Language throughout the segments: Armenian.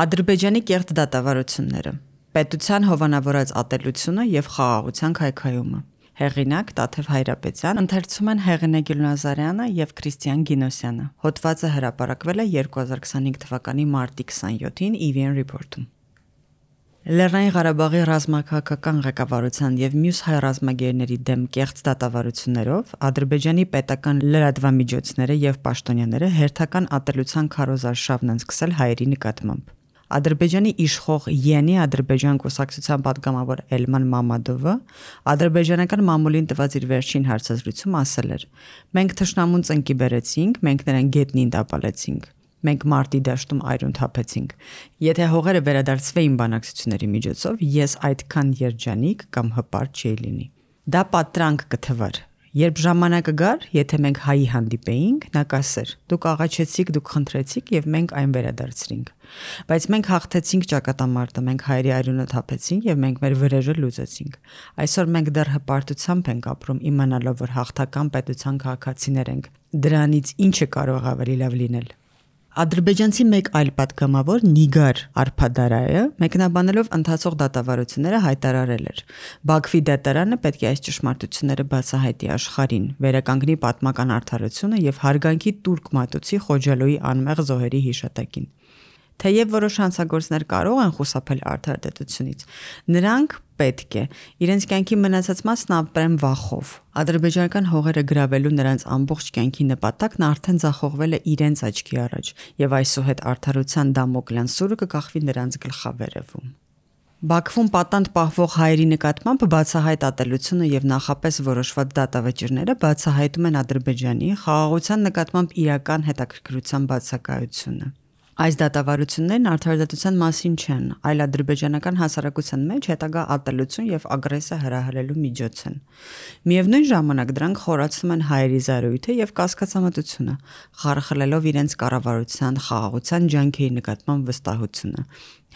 Ադրբեջանի կեղծ դատավարությունները, պետության հովանավորած ատելությունը եւ խաղաղության քայքայումը։ Հեղինակ Տաթև Հայրապետյան, ընթերցում են Հեղինե Գյուլնազարյանը եւ Քրիստիան Գինոսյանը։ Հոդվածը հրապարակվել է 2025 թվականի մարտի 27-ին EVN Report-ում։ Լեռնային Ղարաբաղի ռազմաքաղաքական ղեկավարության եւ մյուս հայ ռազմագերների դեմ կեղծ դատավարություններով Ադրբեջանի պետական լրատվամիջոցները եւ պաշտոնյաները հերթական ատելության քարոզարշավն են սկսել հայերի նկատմամբ։ Ադրբեջանի իշխող ԵՆ Ադրբեջան կուսակցության պատգամավոր Էլման Մամադովը ադրբեջանական մամուլին տված իր վերջին հարցազրույցում ասել էր. «Մենք թշնամուն ծնկի բերեցինք, մենք նրան գետնին տապալեցինք, մենք մարտի դաշտում այրուն թափեցինք։ Եթե հողերը վերադարձվեին բանակցությունների միջոցով, ես այդքան երջանիկ կամ հպարտ չէի լինի»։ Դա պատրանք կթվար։ Երբ ժամանակը գար, եթե մենք հայի հանդիպեինք, նա կասեր. «Դուք աղաչեցիք, դուք խնդրեցիք եւ մենք այն վերադարձրինք։ Բայց մենք հաղթեցինք ճակատամարտը, մենք հայերի այրունը թափեցինք եւ մենք մեր վրեժը լուծեցինք։ Այսօր մենք դեռ հպարտությամբ ենք ապրում, իմանալով, որ հաղթական պետության քաղաքացիներ ենք։ Դրանից ինչը կարող ավելի լավ լինել»։ Ադրբեջանցի մեկ այլ պատգամավոր Նիգար Արփադարայը մեկնաբանելով ընթացող դատավարությունները հայտարարել էր. «Բաքվի դատարանը պետք է այս ճշմարտությունները բացահայտի աշխարհին, վերականգնի պատմական արդարությունը եւ հարգանքի տուրք մատուցի Խոջալոյի անմեղ զոհերի հիշատակին»։ Թեև որոշ հանցագործներ կարող են խուսափել արդարադատությունից, նրանք պետք է իրենց կյանքի մնացած մասն ապրեն վախով։ Ադրբեջանական հողերը գրավելու նրանց ամբողջ կյանքի նպատակն արդեն ձախողվել է իրենց աչքի առաջ, եւ այսուհետ արդարության դամոկլյան սուրը կկախվի նրանց գլխավերևում։ Բաքվում պատանդ պահվող հայերի նկատմամբ բացահայտ ատելությունը եւ նախապես որոշված դատավճիռները բացահայտում են Ադրբեջանի խաղաղության նկատմամբ իրական հետաքրքրության բացակայությունը։ Այս դատավարություններն արդարադատության մասին չեն, այլ ադրբեջանական հասարակության մեջ հետագա ատելություն եւ ագրեսիա հրահրելու միջոց են։ Միևնույն ժամանակ դրանք խորացնում են հայերի զարույթը եւ կասկածամտությունը, խարխլելով իրենց կառավարության խաղաղության ջանքերի նկատմամբ վստահությունը,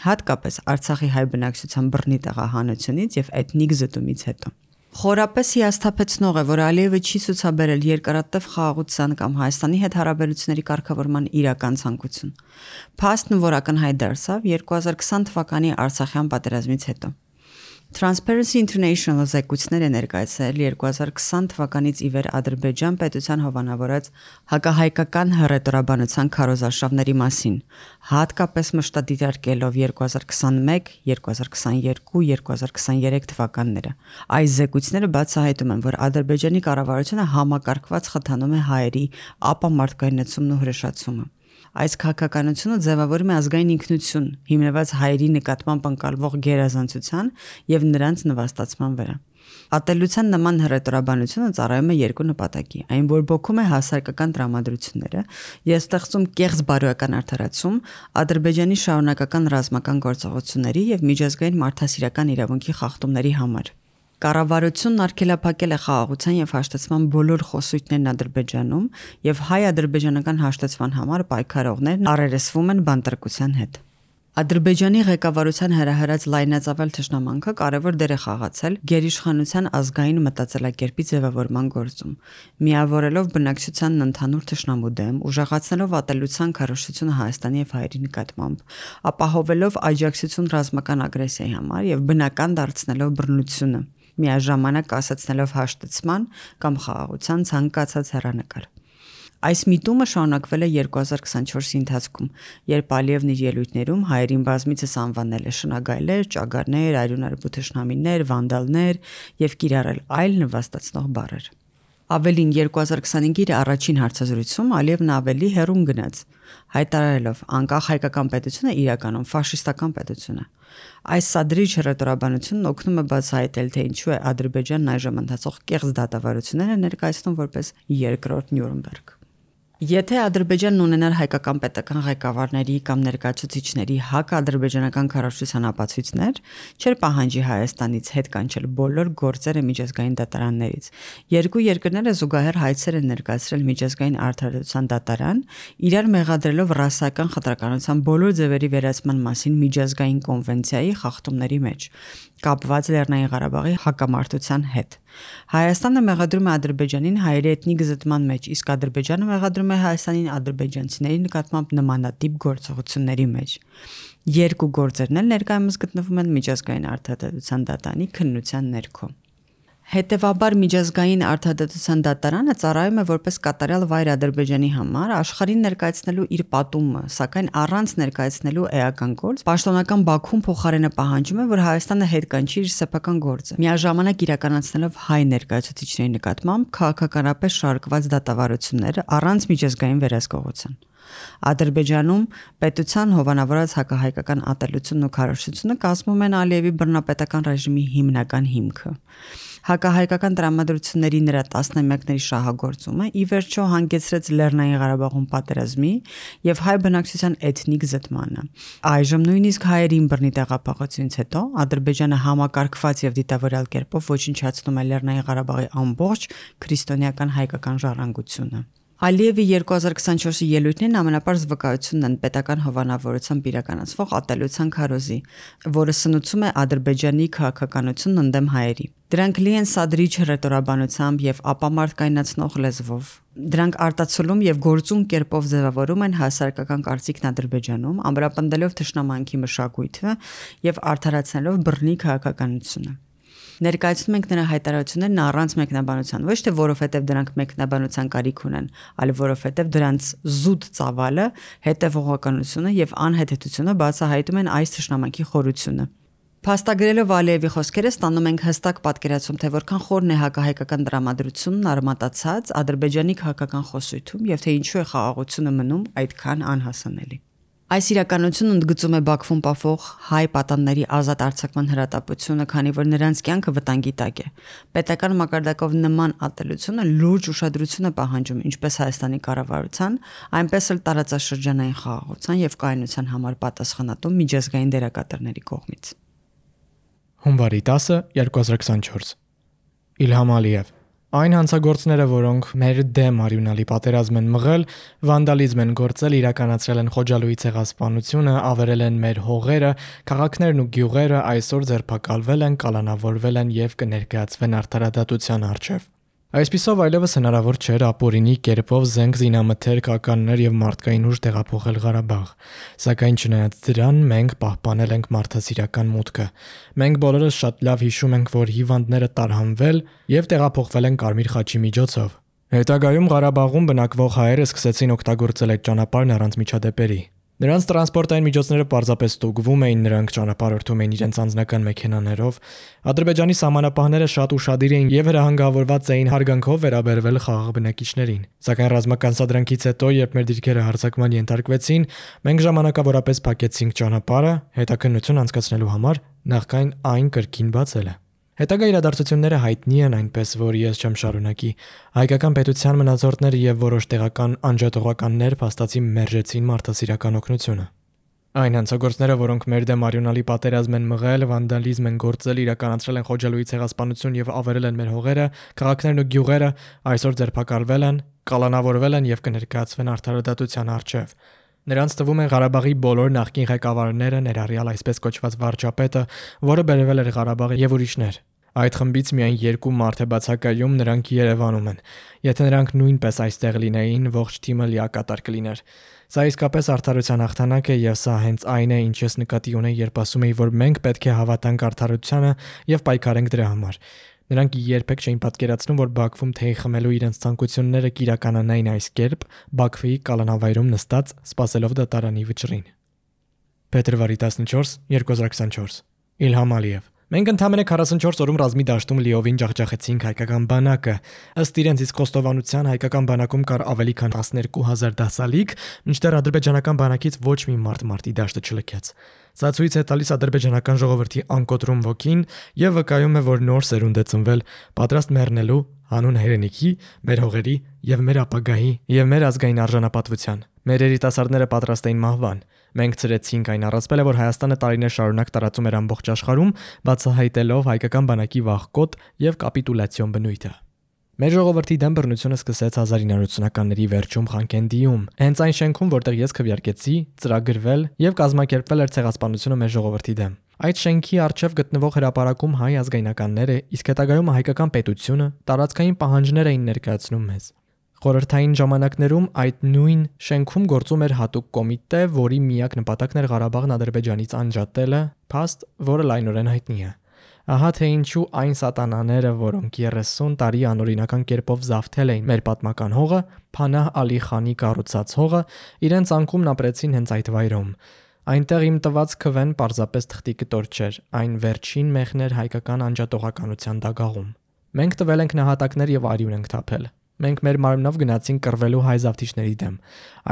հատկապես Արցախի հայ բնակչության բռնի տեղահանությունից եւ էթնիկ զտումից հետո։ Խորապես հիասթափեցնող է, որ Ալիևը չի ցուցաբերել երկարատև խաղաղության կամ Հայաստանի հետ հարաբերությունների կարգավորման իրական ցանկություն։ Փաստն որ ակնհայտ դարձավ 2020 թվականի Արցախյան պատերազմից հետո։ Transparency International զեկույցներ է ներկայացրել 2020 թվականից ի վեր Ադրբեջան պետության հովանավորած հակահայկական հռետորաբանության քարոզարշավների մասին, հատկապես մշտադիտարկելով 2021, 2022, 2023 թվականները։ Այս զեկույցները բացահայտում են, որ Ադրբեջանի կառավարությունը համակարգված խթանում է հայերի ապամարտկայնացումն ու հրեշացումը։ Այս քաղաքականությունը ձևավորում է ազգային ինքնություն, հիմնված հայերի նկատմամբ ընկալվող գերազանցության եւ նրանց նվաստացման վրա։ Ատելության նման հռետորաբանությունը ծառայում է երկու նպատակի՝ այն, որ բոքում է հասարակական տրամադրությունները եւ ստեղծում կեղծ բարոյական արդարացում Ադրբեջանի շարունակական ռազմական գործողությունների եւ միջազգային մարդասիրական իրավունքի խախտումների համար։ Կառավարությունն արգելափակել է խաղաղության եւ հաշտեցման բոլոր խոսույթներն Ադրբեջանում եւ հայ-ադրբեջանական հաշտեցման համար պայքարողներն առերեսվում են բանտարկության հետ։ Ադրբեջանի ղեկավարության հրահրած լայնածավալ թշնամանքը կարևոր դեր է խաղացել գերիշխանության ազգային մտածելակերպի ձևավորման գործում, միավորելով բնակչությանն ընդհանուր թշնամու դեմ, ուժեղացնելով ատելության քարոզությունը Հայաստանի եւ հայերի նկատմամբ, ապահովելով աջակցություն ռազմական ագրեսիայի համար եւ բնական դարձնելով բռնությունը, միաժամանակ կասեցնելով հաշտեցման կամ խաղաղության ցանկացած հեռանկար։ Այս միտումը շարունակվել է 2024-ի ընթացքում, երբ Ալիևն իր ելույթներում հայերին բազմիցս անվանել է շնագայլեր, ճագարներ, այրունարբու թշնամիներ, վանդալներ եւ կիրառել այլ նվաստացնող բառեր։ Ավելին 2025-ի իր առաջին հարցազրույցում Ալիևն ավելի հեռուն գնաց, հայտարարելով անկախ հայկական պետությունը իրականում ֆաշիստական պետություն է։ Այս սադրիչ հռետորաբանությունն օգնում է բացահայտել, թե ինչու է Ադրբեջանն այժմ ընթացող կեղծ դատավարությունները ներկայացնում որպես երկրորդ Նյուրնբերգ։ Եթե Ադրբեջանն ունենար հայկական պետական ղեկավարների կամ ներկայացուցիչների հակաադրբեջանական քարոզչության ապացույցներ, չէր պահանջի Հայաստանից հետ կանչել բոլոր գործերը միջազգային դատարաններից։ Երկու երկրները զուգահեռ հայցեր են ներկայացրել միջազգային արդարադատության դատարան, իրար մեղադրելով ռասայական խտրականության բոլոր ձևերի վերացման մասին միջազգային կոնվենցիայի խախտումների մեջ, կապված Լեռնային Ղարաբաղի հակամարտության հետ։ Հայաստանը մեղադրում է Ադրբեջանին հայերի էթնիկ զտման մեջ, իսկ Ադրբեջանը մեղադրում է Հայաստանին ադրբեջանցիների նկատմամբ նմանատիպ գործողությունների մեջ։ Երկու գործերն էլ ներկայումս գտնվում են միջազգային արդարադատության դատարանի քննության ներքո։ Հետևաբար միջազգային արդարադատության դատարանը ծառայում է որպես կատարյալ վայր Ադրբեջանի համար աշխարհին ներկայացնելու իր պատումը, սակայն առանց ներկայացնելու էական գործ, պաշտոնական Բաքուն փոխարենը պահանջում է, որ Հայաստանը հետ կանչի իր սեփական գործը, միաժամանակ իրականացնելով հայ ներկայացուցիչների նկատմամբ քաղաքականապես շարքված դատավարությունները առանց միջազգային վերահսկողության։ Ադրբեջանում պետության հովանավորած հակահայկական ատելությունն ու քարոզությունը կազմում են Ալիևի բռնապետական ռեժիմի հիմնական հիմքը։ Հակահայկական տրամադրությունների նրա տասնամյակների շահագործումը ի վերջո հանգեցրեց Լեռնային Ղարաբաղում պատերազմի եւ հայ բնակչության էթնիկ զտմանը։ Այժմ նույնիսկ հայերին բռնի տեղափոխությունից հետո Ադրբեջանը համակարգված եւ դիտավորյալ կերպով ոչնչացնում է Լեռնային Ղարաբաղի ամբողջ քրիստոնեական հայկական ժառանգությունը։ Ալիևի 2024-ի ելույթներն ամենապարզ վկայությունն են պետական հովանավորությամբ իրականացվող ատելության քարոզի, որը սնուցում է Ադրբեջանի քաղաքականությունն ընդդեմ հայերի։ Դրանք լի են սադրիչ հռետորաբանությամբ եւ ապամարտկայնացնող լեզվով։ Դրանք արտացոլում եւ գործուն կերպով ձևավորում են հասարակական կարծիքն Ադրբեջանում, ամրապնդելով թշնամանքի մշակույթը եւ արդարացնելով բռնի քաղաքականությունը։ Ներկայացնում ենք նրա հայտարարություններն առանց մեկնաբանության, ոչ թե որովհետև դրանք մեկնաբանության կարիք ունեն, այլ որովհետև դրանց զուտ ծավալը, հետևողականությունը եւ անհետեթությունը բացահայտում են այս թշնամանքի խորությունը։ Փաստագրելով Ալիևի խոսքերը ստանում ենք հստակ պատկերացում, թե որքան խորն է հակահայկական տրամադրությունն արմատացած Ադրբեջանի քաղաքական խոսույթում եւ թե ինչու է խաղաղությունը մնում այդքան անհասանելի։ Այս իրականությունն ընդգծում է Բաքվում պահվող հայ պատանների ազատ արձակման հրատապությունը, քանի որ նրանց կյանքը վտանգի տակ է։ Պետական մակարդակով նման ատելությունը լուրջ ուշադրություն է պահանջում ինչպես Հայաստանի կառավարության, այնպես էլ տարածաշրջանային խաղաղության եւ կայունության համար պատասխանատու միջազգային դերակատարների կողմից։ Հունվարի 10, 2024 Իլհամ Ալիև Այն հանցագործները, որոնք մեր դեմ արյունալի պատերազմ են մղել, վանդալիզմ են գործել, իրականացրել են Խոջալույի ցեղասպանությունը, ավերել են մեր հողերը, քաղաքներն ու գյուղերը, այսօր ձերբակալվել են, կալանավորվել են եւ կներկայացվեն արդարադատության առջև։ Այսպիսով այլևս հնարավոր չէր ապօրինի կերպով զենք զինամթերք, ականներ եւ մարդկային ուժ տեղափոխել Ղարաբաղ, սակայն չնայած դրան մենք պահպանել ենք մարդասիրական մուտքը։ Մենք բոլորս շատ լավ հիշում ենք, որ հիվանդները տարհանվել եւ տեղափոխվել են Կարմիր խաչի միջոցով։ Հետագայում Ղարաբաղում բնակվող հայերը սկսեցին օգտագործել այդ ճանապարհն առանց միջադեպերի։ Նրանց տրանսպորտային միջոցները պարզապես ստուգվում էին, նրանք ճանապարհորդում էին իրենց անձնական մեքենաներով։ Ադրբեջանի սահմանապահները շատ ուշադիր էին եւ հրահանգավորված էին հարգանքով վերաբերվել խաղաղ բնակիչներին։ Սակայն ռազմական սադրանքից հետո, երբ մեր դիրքերը հարձակման ենթարկվեցին, մենք ժամանակավորապես փակեցինք ճանապարհը հետաքննություն անցկացնելու համար, նախքան այն կրկին բացելը։ Հետագա իրադարձությունները հայտնի են, այնպես որ ես չեմ շարունակի։ Հայկական պետության մնացորդները եւ որոշ տեղական անջատողականներ փաստացի մերժեցին մարդասիրական օգնությունը։ Այն հանցագործները, որոնք մեր դեմ արյունալի պատերազմ են մղել, վանդալիզմ են գործել, իրականացրել են Խոջալույի ցեղասպանություն եւ ավերել են մեր հողերը, քաղաքներն ու գյուղերը, այսօր ձերբակալվել են, կալանավորվել են եւ կներկայացվեն արդարադատության առջև։ Նրանց թվում են Ղարաբաղի բոլոր նախկին ղեկավարները, ներառյալ այսպես կոչված վարչապետը, որը բերվել էր Ղարաբաղ եւ ուրիշներ։ Այդ խմբից միայն 2 մարդ է բացակայում, նրանք Երևանում են։ Եթե նրանք նույնպես այստեղ լինեին, ողջ թիմը լիակատար կլիներ։ Սա իսկապես արդարության հաղթանակ է եւ սա հենց այն է, ինչ ես նկատի ունեի, երբ ասում էի, որ մենք պետք է հավատանք արդարությանը եւ պայքարենք դրա համար։ Նրանք երբեք չէին պատկերացնում, որ Բաքվում թեյ խմելու իրենց ցանկությունները կիրականանային այս կերպ, Բաքվի կալանավայրում նստած, սպասելով դատարանի վճռին։ Փետրվարի 14, 2024 Իլհամ Ալիև Մենք ընդամենը 44 օրում ռազմի դաշտում լիովին ջախջախեցինք հայկական բանակը։ Ըստ իրենց իսկ խոստովանության հայկական բանակում կար ավելի քան 12000 դասալիկ, մինչդեռ ադրբեջանական բանակից ոչ մի մարդ մարտի դաշտը չլքեց։ Սա ցույց է տալիս ադրբեջանական ժողովրդի անկոտրում ոգին եւ վկայում է, որ նոր սերունդ է ծնվել, պատրաստ մեռնելու հանուն հայրենիքի, մեր հողերի եւ մեր ապագայի եւ մեր ազգային արժանապատվության։ Մեր երիտասարդները պատրաստ էին մահվան։ Մենք ծրեցինք այն առասպելը, որ Հայաստանը տարիներ շարունակ տարածում էր ամբողջ աշխարհում, բացահայտելով հայկական բանակի վախկոտ եւ կապիտուլյացիոն բնույթը։ Մեր ժողովրդի դեմ բռնությունը սկսեց 1980-ականների վերջում Խանկենդիում, հենց այն շենքում, որտեղ ես քվեարկեցի, ծրագրվել եւ կազմակերպվել էր ցեղասպանությունը մեր ժողովրդի դեմ։ Այդ շենքի առջև գտնվող հրապարակում հայ ազգայնականները, իսկ հետագայում հայկական պետությունը տարածքային պահանջներ էին ներկայացնում մեզ։ Խորհրդային ժամանակներում այդ նույն շենքում գործում էր հատուկ կոմիտե, որի միակ նպատակն էր Ղարաբաղն Ադրբեջանից անջատելը, փաստ, որը լայնորեն հայտնի է։ Ահա թե ինչու այն սատանաները, որոնք 30 տարի անօրինական կերպով զավթել էին մեր պատմական հողը, Փանահ Ալի Խանի կառուցած հողը, իրենց անկումն ապրեցին հենց այդ վայրում։ Այնտեղ իմ տված քվեն պարզապես թղթի կտոր չէր, այն վերջին մեղն էր հայկական անջատողականության դագաղում։ Մենք տվել ենք նահատակներ եւ արյուն ենք թափել։ Մենք մեր մարմնով գնացինք կռվելու հայ զավթիչների դեմ։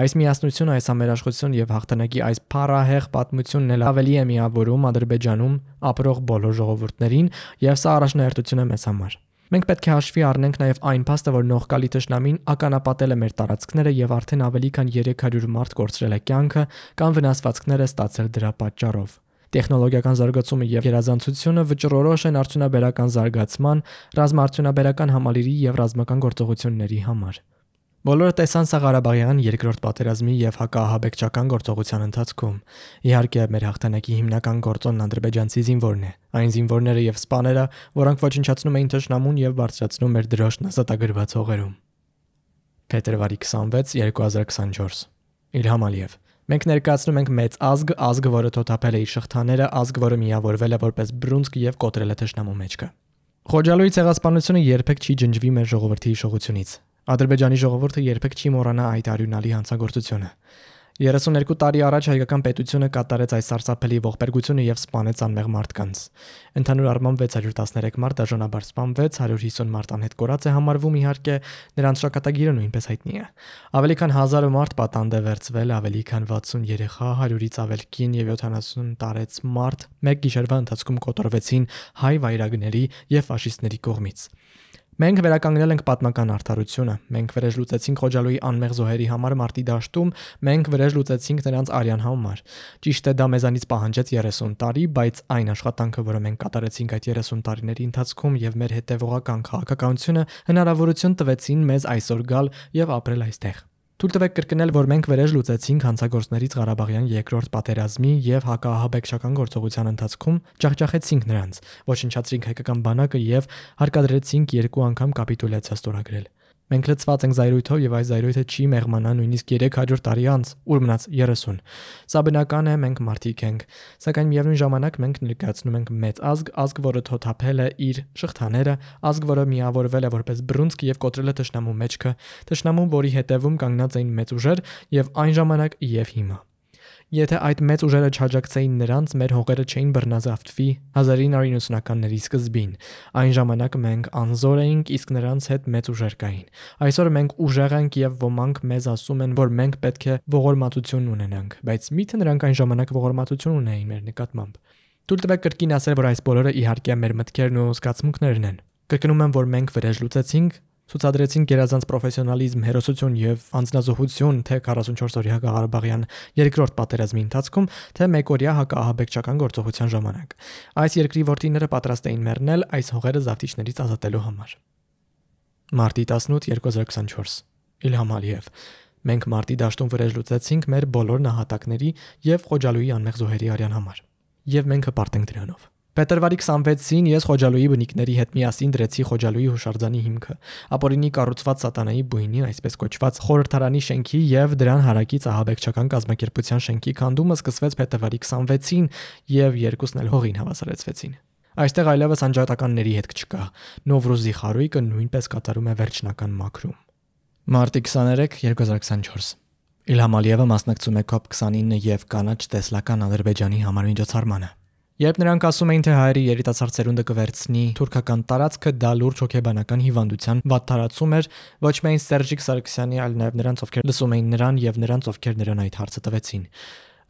Այս միասնությունը, այս ամերաշխություն եւ հաղթանակի այս փառահեղ պատմությունն էլ ավելի է միավորում Ադրբեջանում ապրող բոլոր ժողովուրդներին, եւ սա առաջնահերթություն է մեզ համար։ Մենք պետք է հաշվի առնենք նաեւ այն փաստը, որ նողկալի թշնամին ականապատել է մեր տարածքները եւ արդեն ավելի քան 300 մարդ կորցրել է կյանքը կամ վնասվածքները ստացել դրա պատճառով։ Տեխնոլոգիական զարգացումը եւ գերազանցությունը վճռորոշ են արդյունաբերական զարգացման, ռազմաարդյունաբերական համալիրի եւ ռազմական գործողությունների համար։ Բոլորը տեսան սա Ղարաբաղյան երկրորդ պատերազմի եւ հակաահաբեկչական գործողության ընթացքում։ Իհարկե, մեր հաղթանակի հիմնական գործոնն ադրբեջանցի զինվորն է, այն զինվորները եւ սպաները, որոնք ոչնչացնում էին թշնամուն եւ բարձրացնում մեր դրոշն ազատագրված հողերում։ Փետրվարի 26, 2024 Իլհամ Ալիև։ Մենք ներկայացնում ենք մեծ ազգ, որը թոթափել է իր շղթաները, ազգ, որը միավորվել է որպես բռունցք եւ կոտրել է թշնամու մեջքը։ Խոջալույի ցեղասպանությունը երբեք չի ջնջվի մեր ժողովրդի հիշողությունից։ Ադրբեջանի ժողովուրդը երբեք չի մոռանա այդ արյունալի հանցագործությունը։ 32 տարի առաջ հայկական պետությունը կատարեց այս սարսափելի ողբերգությունը եւ սպանեց անմեղ մարդկանց։ Ընդհանուր առմամբ 613 մարդ դաժանաբար սպանվեց, 150 մարդ անհետ կորած է համարվում, իհարկե նրանց շակատագիրը նույնպես հայտնի է։ Ավելի քան 1000 մարդ պատանդ է վերցվել, ավելի քան 60 երեխա, 100-ից ավել կին եւ 70 տարեց մարդ մեկ գիշերվա ընթացքում կոտորվեցին հայ վայրագների եւ ֆաշիստների կողմից։ Մենք վերականգնել ենք պատմական արդարությունը, մենք վրեժ լուծեցինք Խոջալույի անմեղ զոհերի համար մարտի դաշտում, մենք վրեժ լուծեցինք նրանց արյան համար։ Ճիշտ է, դա մեզանից պահանջեց 30 տարի, բայց այն աշխատանքը, որը մենք կատարեցինք այդ 30 տարիների ընթացքում եւ մեր հետեւողական քաղաքականությունը հնարավորություն տվեցին մեզ այսօր գալ եւ ապրել այստեղ։ Թույլ տվեք կրկնել, որ մենք վրեժ լուծեցինք հանցագործներից Ղարաբաղյան երկրորդ պատերազմի եւ հակաահաբեկչական գործողության ընթացքում, ջախջախեցինք նրանց, ոչնչացրինք հայկական բանակը եւ հարկադրեցինք 2 անգամ կապիտուլյացիա ստորագրել։ Մենք լցված ենք զայրույթով եւ այս զայրույթը չի մեղմանա նույնիսկ 300 տարի անց, ուր մնաց 30։ Սա բնական է, մենք մարդիկ ենք, սակայն միևնույն ժամանակ մենք ներկայացնում ենք մեծ ազգ, որը թոթափել է իր շղթաները, ազգ, որը միավորվել է որպես բռունցք եւ կոտրել է թշնամու մեջքը, թշնամու, որի հետևում կանգնած էին մեծ ուժեր եւ այն ժամանակ եւ հիմա։ Եթե այդ մեծ ուժերը չհաջակցեին նրանց, մեր հողերը չէին բռնազավթվի 1990-ականների սկզբին։ Այն ժամանակ մենք անզոր էինք, իսկ նրանց հետ մեծ ուժեր կային։ Այսօր մենք ուժեղ ենք եւ ոմանք մեզ ասում են, որ մենք պետք է ողորմատություն ունենանք, բայց միթե նրանք այն ժամանակ ողորմատություն ունեին մեր նկատմամբ։ Թույլ տվեք կրկին ասել, որ այս բոլորը իհարկե մեր մտքերն ու զգացմունքներն են։ Կրկնում եմ, որ մենք վրեժ լուծեցինք, ցուցադրեցին գերազանց պրոֆեսիոնալիզմ, հերոսություն եւ անձնազոհություն թե 44-օրյա Ղարաբաղյան երկրորդ պատերազմի ընթացքում, թե մեկօրյա հակաահաբեկչական գործողության ժամանակ։ Այս երկրի որդիները պատրաստ էին մեռնել այս հողերը զավթիչներից ազատելու համար։ Մարտի 18, 2024 Իլհամ Ալիև։ Մենք մարտի դաշտում վրեժ լուծեցինք մեր բոլոր նահատակների եւ Խոջալույի անմեղ զոհերի արյան համար։ Եվ մենք հպարտ ենք դրանով։ Փետրվարի 26-ին ես Խոջալույի բնիկների հետ միասին դրեցի Խոջալույի հուշարձանի հիմքը, ապօրինի կառուցված սատանայի բույնի, այսպես կոչված խորհրդարանի շենքի եւ դրան հարակից ահաբեկչական կազմակերպության շենքի քանդումը սկսվեց փետրվարի 26-ին եւ երկուսն էլ հողին հավասարեցվեցին։ Այստեղ այլևս անջատականների հետք չկա։ Նովրուզի խարույկը նույնպես կատարում է վերջնական մաքրում։ Մարտի 23, 2024 Իլհամ Ալիևը մասնակցում է COP29 եւ կանաչ տեսլական Ադրբեջանի համար միջոցառմանը։ Երբ նրանք ասում էին, թե հայերի երիտասարդ սերունդը կվերցնի թուրքական տարածքը, դա լուրջ հոգեբանական հիվանդության վատթարացում էր ոչ միայն Սերժիկ Սարգսյանի, այլ նաև նրանց, ովքեր լսում էին նրան եւ նրանց, ովքեր նրան այդ հարցը տվեցին։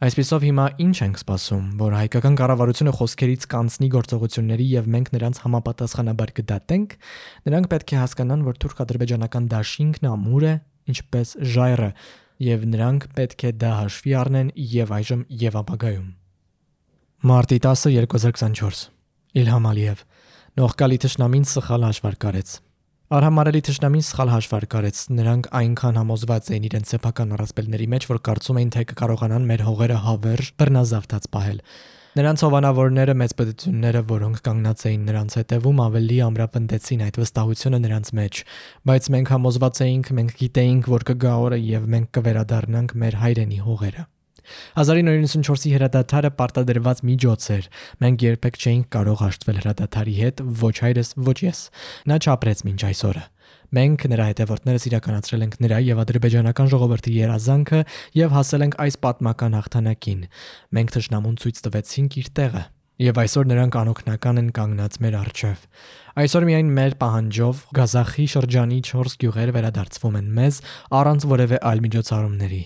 Այսպիսով հիմա ինչ ենք սպասում, որ հայկական կառավարությունը խոսքերից կանցնի գործողությունների եւ մենք նրանց համապատասխանաբար կդատենք։ Նրանք պետք է հասկանան, որ թուրք-ադրբեջանական դաշինքն ամուր է, ինչպես ժայռը, եւ նրանք պետք է դա հաշվի առնեն եւ այժմ եւ ապագայում։ Մարտի 10, 2024 Իլհամ Ալիև։ Նողկալի թշնամին սխալ հաշվարկ արեց։ Արհամարելի թշնամին սխալ հաշվարկ արեց, նրանք այնքան համոզված էին իրենց սեփական առասպելների մեջ, որ կարծում էին, թե կկարողանան մեր հողերը հավերժ բռնազավթած պահել։ Նրանց հովանավորները մեծ պետությունները, որոնք կանգնած էին նրանց հետևում, ավելի ամրապնդեցին այդ վստահությունը նրանց մեջ, բայց մենք համոզված էինք, մենք գիտեինք, որ կգա օրը եւ մենք կվերադառնանք մեր հայրենի հողերը։ 1994-ի հրադադարը պարտադրված միջոց էր։ Մենք երբեք չէինք կարող հաշտվել հրադադարի հետ, ոչ հայրս, ոչ ես։ Նա չապրեց մինչ այսօրը։ Մենք նրա հետևորդներս իրականացրել ենք նրա եւ ադրբեջանական ժողովրդի երազանքը եւ հասել ենք այս պատմական հաղթանակին։ Մենք թշնամուն ցույց տվեցինք իր տեղը եւ այսօր նրանք անօգնական են կանգնած մեր առջեւ։ Այսօր միայն մեր պահանջով Ղազախի շրջանի 4 գյուղեր վերադարձվում են մեզ առանց որևէ այլ միջոցառումների։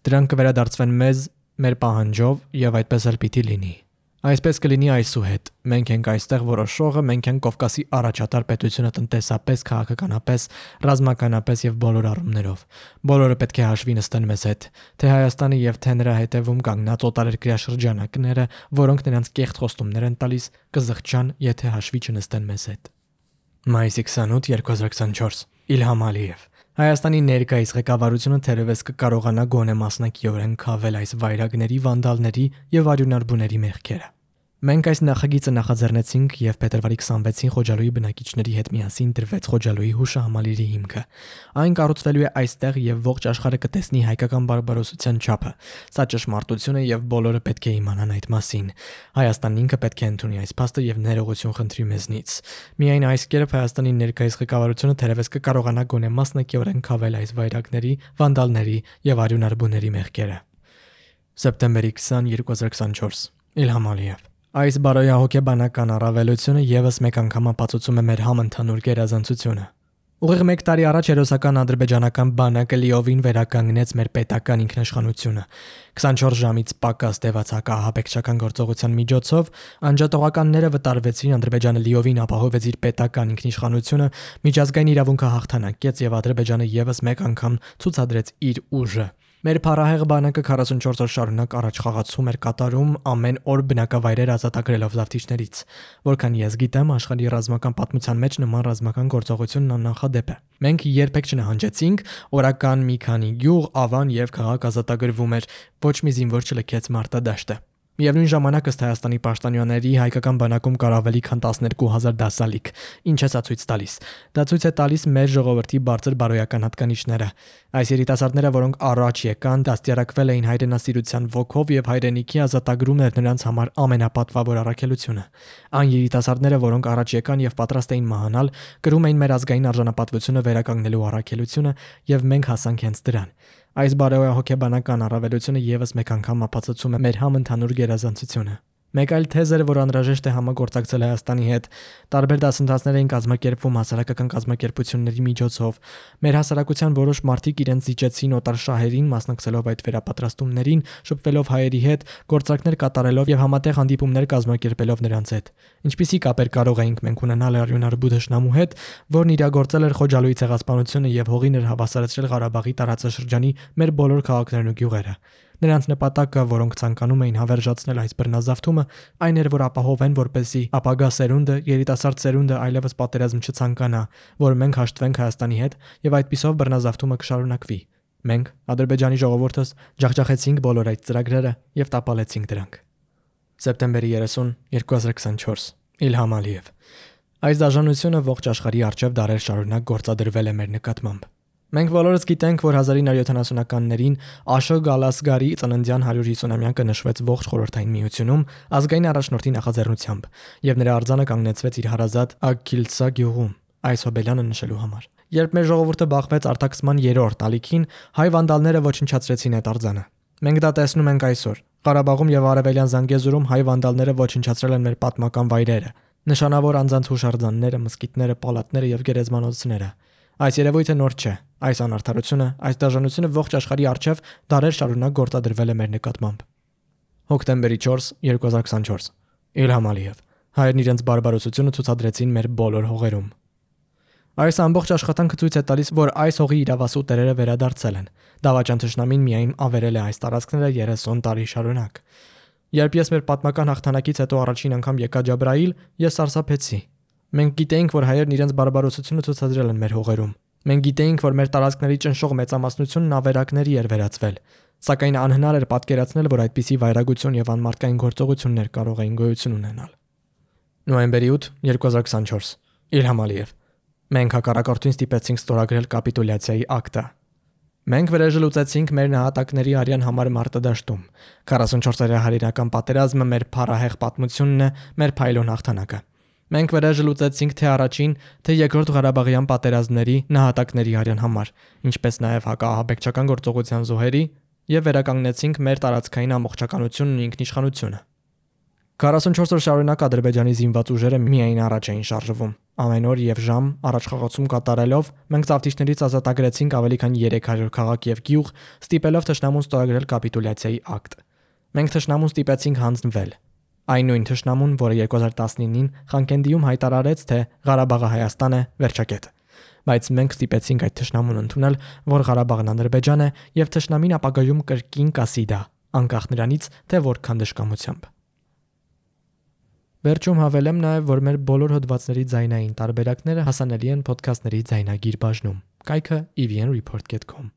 Դրանք կվերադարձվեն մեզ մեր պահանջով եւ այդպես էլ պիտի լինի։ Այսպես կլինի այսուհետ։ Մենք ենք այստեղ որոշողը, մենք ենք Կովկասի առաջատար պետությունը տնտեսապես, քաղաքականապես, ռազմականապես եւ բոլոր առումներով։ Բոլորը պետք է հաշվի նստեն մեզ հետ, թե Հայաստանը եւ թե նրա հետևում կանգնած օտարերկրյա շրջանակները, որոնք նրանց կեղծ խոստումներ են տալիս, կզղջան, եթե հաշվի չնստեն մեզ հետ։ Մայիսի 28, 2024 Իլհամ Ալիև Հայաստանի ներկայիս ղեկավարությունը թերևս կկարողանա գոնե մասնակիորեն քավել այս վայրագների, վանդալների եւ արյունարբուների մեղքերը։ Մենք այս նախագիծը նախաձեռնեցինք եւ փետրվարի 26-ին Խոջալույի բնակիչների հետ միասին դրվեց Խոջալույի հուշահամալիրի հիմքը։ Այն կառուցվելու է այստեղ եւ ողջ աշխարհը կտեսնի հայկական բարբարոսության չափը։ Սա ճշմարտություն է եւ բոլորը պետք է իմանան այդ մասին։ Հայաստանն ինքը պետք է ընդունի այս փաստը եւ ներողություն խնդրի մեզնից։ Միայն այս կերպ Հայաստանի ներկայիս ղեկավարությունը թերևս կկարողանա գոնե մասնակիորեն քավել այս վայրագների, վանդալների եւ արյունարբուների մեղքերը։ Սեպտեմբերի 20, 2024 Իլհամ Ալիև Այս բարոյահոգեբանական առավելությունը եւս մեկ անգամ ապացուցում է մեր համընդհանուր գերազանցությունը։ Ուղիղ 1 տարի առաջ հերոսական ադրբեջանական բանակը լիովին վերականգնեց մեր պետական ինքնիշխանությունը։ 24 ժամից պակաս տևած հակահաբեկչական գործողության միջոցով անջատողականները վտարվեցին, Ադրբեջանը լիովին ապահովեց իր պետական ինքնիշխանությունը, միջազգային իրավունքը հաղթանակեց եւ Ադրբեջանը եւս մեկ անգամ ցուցադրեց իր ուժը։ Մեր փառահեղ բանակը 44 օր շարունակ առաջխաղացում էր կատարում ամեն օր բնակավայրեր ազատագրելով զավթիչներից։ Որքան ես գիտեմ, աշխարհի ռազմական պատմության մեջ նման ռազմական գործողությունն աննախադեպ է։ Մենք երբեք չնահանջեցինք, օրական մի քանի գյուղ, ավան եւ քաղաք ազատագրվում էր, ոչ մի զինվոր չլքեց մարտադաշտը։ Միևնույն ժամանակ ըստ Հայաստանի պաշտոնյաների հայկական բանակում կար ավելի քան 12000 դասալիկ։ Ինչ է սա ցույց տալիս։ Դա ցույց է տալիս մեր ժողովրդի բարձր բարոյական հատկանիշները։ Այս երիտասարդները, որոնք առաջ եկան, դաստիարակվել էին հայրենասիրության ոգով եւ հայրենիքի ազատագրումն էր նրանց համար ամենապատվավոր առաքելությունը։ Այն երիտասարդները, որոնք առաջ եկան եւ պատրաստ էին մահանալ, կրում էին մեր ազգային արժանապատվությունը վերականգնելու առաքելությունը եւ մենք հասանք հենց դրան։ Այս բարոյահոգեբանական առավելությունը եւս մեկ անգամ ապացուցում է մեր համընդհանուր գերազանցությունը։ Մեկ այլ թեզ էր, որ անհրաժեշտ է համագործակցել Հայաստանի հետ։ Տարբեր դասընթացներ էին կազմակերպվում հասարակական կազմակերպությունների միջոցով։ Մեր հասարակության որոշ մարդիկ իրենց զիջեցին օտար շահերին, մասնակցելով այդ վերապատրաստումներին, շփվելով հայերի հետ, գործակներ կատարելով եւ համատեղ հանդիպումներ կազմակերպելով նրանց հետ։ Ինչպիսի կապեր կարող էինք մենք ունենալ արյունարբու դաշնամու հետ, որն իրագործել էր Խոջալույի ցեղասպանությունը եւ հողին էր հավասարեցրել Ղարաբաղի տարածաշրջանի մեր բոլոր քաղաքներն ու գյուղերը։ Նրանց նպատակը, որոնք ցանկանում էին հավերժացնել այս բռնազավթումը, այն էր, որ ապահովեն, որպեսզի ապագա սերունդը, երիտասարդ սերունդը այլևս պատերազմ չցանկանա, որ մենք հաշտվենք Հայաստանի հետ եւ այդպիսով բռնազավթումը կշարունակվի։ Մենք, Ադրբեջանի ժողովուրդս, ջախջախեցինք բոլոր այդ ծրագրերը եւ տապալեցինք դրանք։ Սեպտեմբերի 30, 2024 Իլհամ Ալիև Այս դաշնությունը ողջ աշխարհի առջև դարեր շարունակ գործադրվել է մեր նկատմամբ։ Մենք բոլորս գիտենք, որ 1970-ականներին Աշոկ Գալասգարի ծննդյան 150-ամյակը նշվեց ողջ խորհրդային միությունում ազգային առաջնորդի նախաձեռնությամբ, եւ նրա արձանը կանգնեցվեց իր հարազատ Ակիլցա գյուղում այս հոբելյանը նշելու համար։ Երբ մեր ժողովուրդը բախվեց արտաքսման 3-րդ ալիքին, հայ վանդալները ոչնչացրեցին այդ արձանը։ Մենք դա տեսնում ենք այսօր։ Ղարաբաղում եւ Արևելյան Զանգեզուրում հայ վանդալները ոչնչացրել են մեր պատմական վայրերը, նշանավոր անձանց հուշարձանները, մզկիթները, պալատները եւ գերեզմանոցները։ Այս երևույթը նոր չէ։ Այս անարդարությունը, այս դաժանությունը ողջ աշխարհի առջև դարեր շարունակ գործադրվել է մեր նկատմամբ։ Հոկտեմբերի 4, 2024 Իլհամ Ալիև Հայերն իրենց բարբարոսությունը ցուցադրեցին մեր բոլոր հողերում։ Այս ամբողջ աշխատանքը ցույց է տալիս, որ այս հողի իրավասու տերերը վերադարձել են։ Դավաճան թշնամին միայն ավերել է այս տարածքները 30 տարի շարունակ։ Երբ ես մեր պատմական հաղթանակից հետո առաջին անգամ եկա Ջաբրայիլ, ես սարսափեցի։ Մենք գիտեինք, որ հայերն իրենց բարբարոսությունը ցուցադրել են մեր հողերում։ Մենք գիտեինք, որ մեր տարածքների ճնշող մեծամասնությունն ավերակների էր վերածվել, սակայն անհնար էր պատկերացնել, որ այդպիսի վայրագություն եւ անմարդկային գործողություններ կարող էին գոյություն ունենալ։ Նոյեմբերի 8, 2024 Իլհամ Ալիև։ Մենք հակառակորդին ստիպեցինք ստորագրել կապիտուլյացիայի ակտը։ Մենք վերեժլուծեցինք մեր նահատակների արյան համար մարտադաշտում։ 44-օրյա հայրենական պատերազմը մեր փառահեղ պատմությունն է, մեր փայլուն հաղթանակը։ Մենք վերեժլուծեցինք թե առաջին, թե երկրորդ Ղարաբաղյան պատերազմների նահատակների արյան համար, ինչպես նաև հակաահաբեկչական գործողության զոհերի եւ վերականգնեցինք մեր տարածքային ամբողջականությունն ու ինքնիշխանությունը։ 44 օր շարունակ Ադրբեջանի զինված ուժերը միայն առաջ էին շարժվում։ Ամեն օր եւ ժամ առաջխաղացում կատարելով մենք ծավթիչներից ազատագրեցինք ավելի քան 300 քաղաք եւ գյուղ, ստիպելով թշնամուն ստորագրել կապիտուլյացիայի ակտ։ Մենք թշնամուն ստիպեցինք հանձնվել։ Այն նույն թշնամուն, որը 2019-ին Խանկենդիում հայտարարեց, թե Ղարաբաղը Հայաստան է, վերջակետ։ Բայց մենք ստիպեցինք այդ թշնամուն ընդունել, որ Ղարաբաղն Ադրբեջան է եւ թշնամին ապագայում կրկին կասի դա, անկախ նրանից, թե որքան դժկամությամբ։ Վերջում հավելեմ նաև, որ մեր բոլոր հոդվածների ձայնային տարբերակները հասանելի են ոդքասթների ձայնագիր բաժնում։ Կայքը evnreport.com